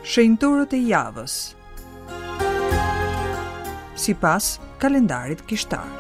Shenjtorët e javës. Sipas kalendarit kishtar.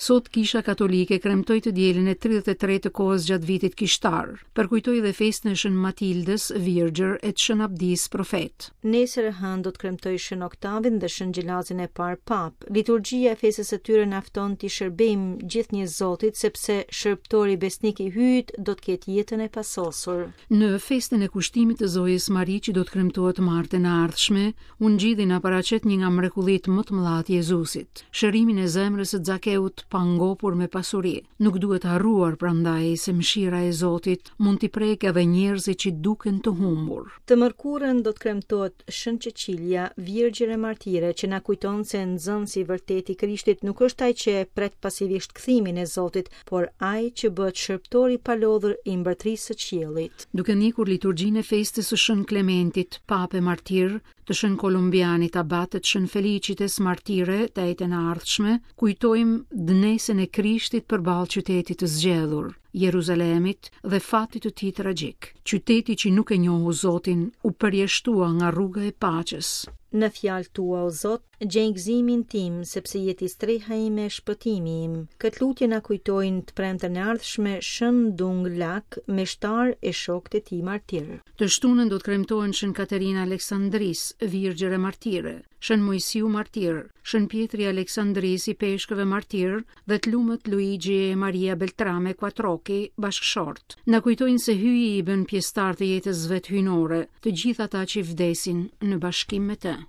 Sot Kisha Katolike kremtoi të dielën e 33 të kohës gjatë vitit kishtar. Përkujtoi dhe festën e Shën Matildës, Virgjër, e të Shën Abdisë, Profet. Nesër e hënë do të kremtojë Shën Oktavin dhe Shën Gjelazin e parë Papë. Liturgjia e festës së tyre na fton t'i shërbejmë gjithnjë Zotit, sepse shërbëtori besnik i Hyjit do të ketë jetën e pasosur. Në festën e kushtimit të Zojës Mari që do të kremtohet të martën e ardhshme, Ungjilli na paraqet një nga mrekullitë më të mëdha të Jezusit, shërimin e zemrës së Zakeut të pangopur me pasuri. Nuk duhet harruar prandaj se mëshira e Zotit mund t'i prekë edhe njerëzit që duken të humbur. Të mërkurën do të kremtohet Shën Çeçilia, Virgjër e Martire, që na kujton se nxënësi i vërtetë i Krishtit nuk është ai që e pret pasivisht kthimin e Zotit, por ai që bëhet shërbëtor i palodhur i Mbretërisë së Qiellit. Duke ndjekur liturgjinë e festës së Shën Klementit, Papë e Martir, të Shën Kolumbianit Abat e të Shën Felicites Martire, të enjten e ardhshme, kujtojmë dënesën e Krishtit përballë qytetit të zgjedhur, Jeruzalemit dhe fatit të tij tragjik. Qyteti që nuk e njohu Zotin u përjashtua nga rruga e paqes. Në fjalët tua, o Zot, gjej gëzimin tim, sepse je ti streha ime e shpëtimi im. Këtë lutje na kujtojnë të premten e ardhshme Shën Dung Lak, meshtar e shokët e tij martirë. Të shtunën do të kremtohen Shën Katerina e Aleksandrisë, Virgjër e Martire, Shën Moisiu Martir, Shën Pjetri i Aleksandrisë, ipeshkëv e martir dhe të lumët Luigi e Maria Beltrame Quattrocchi, bashkëshortë. Na kujtojnë se Hyji i bën pjesëtarë të jetës së vet hyjnore, të gjithë ata që vdesin në bashkim me të.